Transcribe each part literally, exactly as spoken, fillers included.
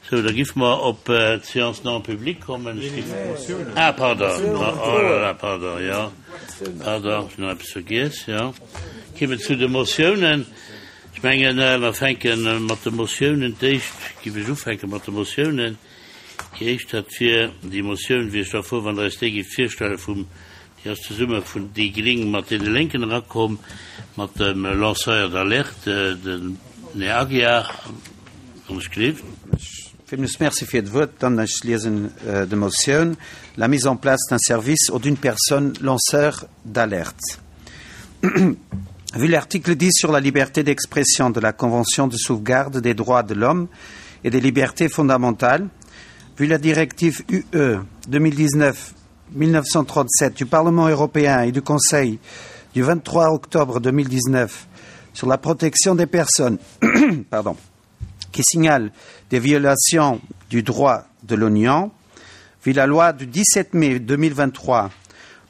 Sou, da giffe mer op d'Séance non publique kommen. Ech giff. Ah, pardon, oh là là, pardon, jo, pardon, ech hunn nach eppes vergiess, jo. Kimme zu de Motiounen. Ech mengen, mer fänke mat de Motiounen. D'éischt giff ech ufänke mat de Motiounen. Déi éischt, dat wier déi Motioun, wéi ech da fuer, wann Der eis déi gifft virstellen, vum, déi ass zesumme vun déi Gring mat deene Lénken erakomm, mat dem Lanceur d'alerte, den Här Aguiar, wann ech gleef. Villmools Merci fir d'Wuert. Dann ech liesen de Motioun, La mise en place d'un service ou d'une personne lanceur d'alerte. Vu l'article dix sur la liberté d'expression de la Convention de sauvegarde des droits de l'homme et des libertés fondamentales, vu la directive U E deux mille dix-neuf mille neuf cent trente-sept du Parlement européen et du Conseil du vingt-trois octobre deux mille dix-neuf sur la protection des personnes, pardon, qui signalent des violations du droit de l'Union, vu la loi du dix-sept mai deux mille vingt-trois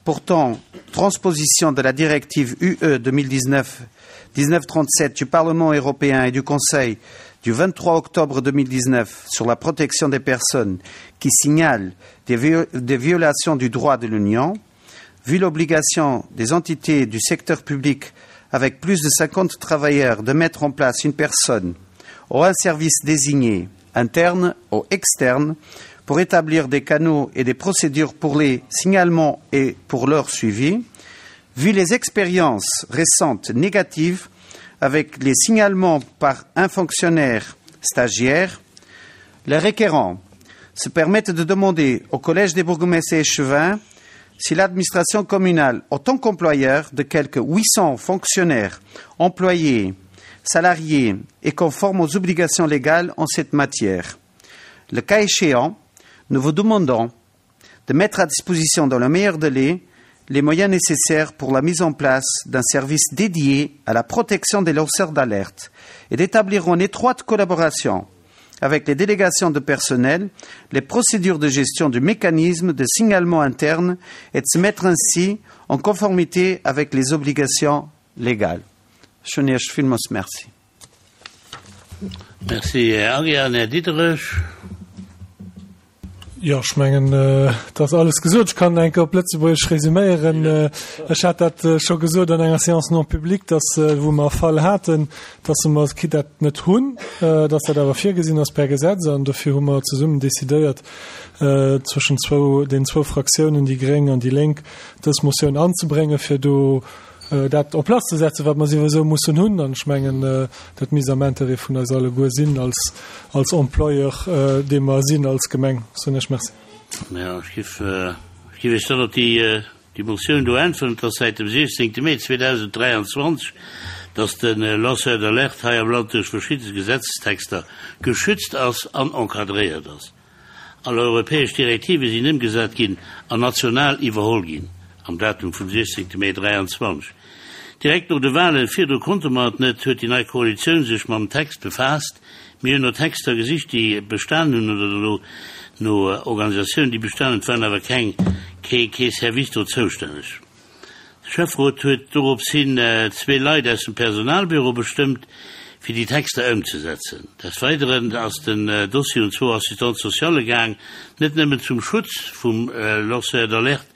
portant transposition de la directive U E deux mille dix-neuf mille neuf cent trente-sept du Parlement européen et du Conseil du vingt-trois octobre deux mille dix-neuf sur la protection des personnes qui signalent des, des violations du droit de l'Union, vu l'obligation des entités du secteur public avec plus de cinquante travailleurs de mettre en place une personne ou un service désigné, interne ou externe, pour établir des canaux et des procédures pour les signalements et pour leur suivi, vu les expériences récentes négatives avec les signalements par un fonctionnaire stagiaire, les requérants se permettent de demander au Collège des bourgmestres et échevins si l'administration communale, en tant qu'employeur de quelque huit cents fonctionnaires, employés, salariés, est conforme aux obligations légales en cette matière. Le cas échéant, nous vous demandons de mettre à disposition dans le meilleur délai les moyens nécessaires pour la mise en place d'un service dédié à la protection des lanceurs d'alerte et d'établir en étroite collaboration avec les délégations de personnel les procédures de gestion du mécanisme de signalement interne et de se mettre ainsi en conformité avec les obligations légales. Merci. Merci, Ariane Diderich. Jo, ech mengen, äh, dat alles gesot. Ech kann enke op Lëtzebuergesch resuméieren. Äh, ech hat dat äh, scho gesot an enger Séance non publique, dass äh, wou mer Fall haten, dass mer dat net hunn, äh, dass dat awer virgesinn ass per Gesetz, an dofir hu mer zesummen decidéiert, äh, zwëschen zwou, den zwou Fraktiounen, déi Gréng an déi Lénk, dës Motioun anzebréngen, fir do äh, dat en place ze setzen, wat mer souwisou mussen hunn. An ech mengen, äh, dat misst am Interêt vun eis alleguer sinn als als Employeur, äh, dee mer sinn als Gemeng. Soen ech Merci. Ja, ech giff äh, ech giff dann op déi äh, déi Motioun do äntweren, dass säit dem siechzéngte Mee zweedausend dräianzwanzeg, dass den äh, Lanceur d'alerte hei am Land duerch verschidde Gesetzestexter geschützt ass an encadréiert ass. All europäesch Direktive sinn ëmgesat ginn an national iwwerholl ginn am Datum vum siechzéngte Mee dräianzwanzeg. Direkt no de Wahlen, virdru konnte mer et net, huet déi nei Koalitioun sech mam Text befaasst. Mir hunn no Texter gesicht, déi bestanen hunn, oder no, no Organisatiounen, déi bestanen, waren awer keng kee, kee Service do zoustänneg. De Schäfferot huet dorops hin äh, zwee Leit aus dem Personalbüro bestëmmt, fir déi Texter ëmzesetzen. Des Weideren ass den äh, Dossier un zwou Assistants sociales gaang, net nëmmen zum Schutz vum äh, Lanceur d'alerte,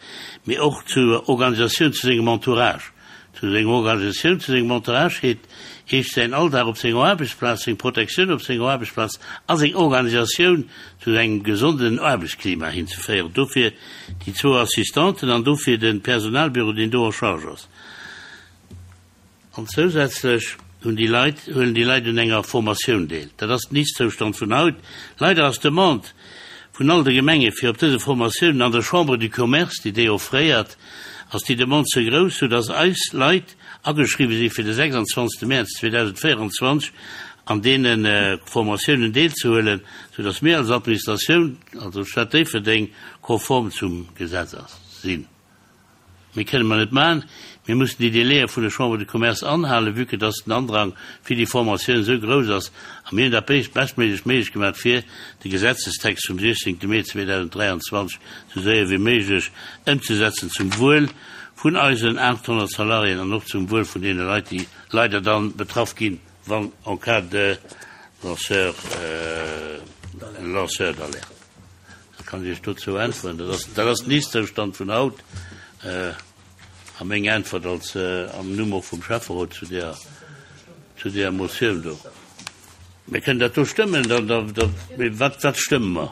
mee och zur Organisatioun zu sengem Entourage. Zu senger Organisatioun, zu sengem Entourage heet heescht säin Alldag op senger Aarbechtsplaz, seng Protektioun op senger Aarbechtsplaz a seng Organisatioun zu engem gesonden Aarbechtsklima hinzeféieren. Dofir déi zwou Assistenten an dofir den Personalbüro, deen do en charge ass. An zousätzlech hunn déi Leit, huelen déi Leit un enger Formatioun deel. Dat ass den Ist-Zoustand vun haut. Leider ass d'Demande vun all de Gemenge fir op dëse Formatiounen an der Chambre du Commerce, déi déi offréiert, ass déi Demande ze grouss, sou dass eis Leit ageschriwwe si fir de sechsanzwanzegste Mäerz zweedausendvéierenzwanzeg an deene äh, Formatiounen deelzehuelen, sou dass mir als Administratioun, also Stad Déifferdeng, konform zum Gesetz ass, sinn. Mir kënne mer net maachen, mir mussen déi Délaië vun der Chambre de Commerce anhalen, vue que dass den Andrang fir déi Formatioun esou grouss ass, a mir hunn dat beschtméiglech méiglech gemaach, fir de Gesetzestext vum siechzéngte Mee zweedausend dräianzwanzeg sou séier wéi méiglech ëmzesetzen zum Wuel vun eisen aathonnert Salariéen an och zum Wuel vun deene Leit, déi leider dann betraff ginn, wann en cas de lanceur, euh, Lanceur d'alerte. Dat kann ech dozou äntweren. Dat ass, dat ass den Ist-Zoustand vun haut. A meng Äntwert als am Numm och vum Schäfferot zu där, zu där Motioun do. Mir kënnen dat do stëmmen, da, da, da, mee wat, wat stëmme mer?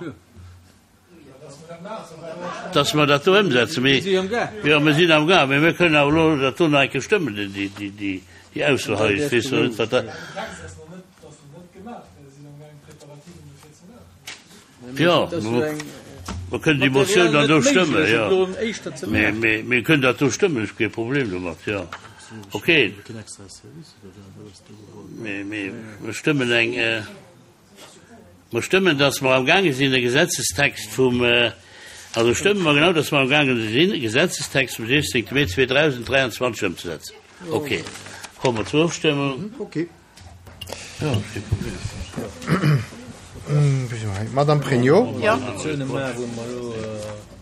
Dass mer dat do ëmsetzen. Mee, jo, mir sinn am Gaang, mee mir kënnen awer elo dat do nach eng Kéier stëmmen, déi, déi, déi, déi Ausso hei. Ech weess elo net, wat dat. Jo, mer kënnen déi Motioun dann do stëmmen, jo. Mee, mee mir kënnen dat do stëmmen, ech hu kee Problem domat, jo. Okay. Mee, mee mer stëmmen eng, mer stëmmen, dass mer amgaange sinn, e Gesetzestext vum, also stëmme mer genau, dass mer amgaange sinn, e Gesetzestext vum siechzéngte Mee zweedausend dräianzwanzeg ëmzesetzen. Okay. Komme mer zur Ofstëmmung. Okay. Madame Pregno. Jo.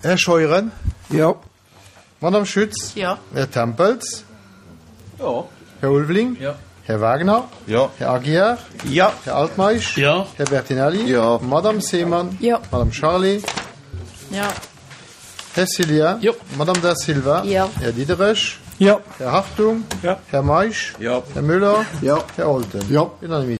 Här Scheuren. Jo. Madame Schütz. Jo. Här Tempels. Jo. Här Ulveling. Jo. Här Wagner. Jo. Här Aguiar. Jo. Här Altmeisch. Jo. Här Bertinelli. Jo. Madame Seemann. Jo. Madame Charlé. Jo. Här Cillien. Jo. Madame Da Silva. Jo. Här Diderich. Jo. Här Hartung. Jo. Här Meisch. Jo. Här Müller. Jo. Här Olten. Jo. Unanimité.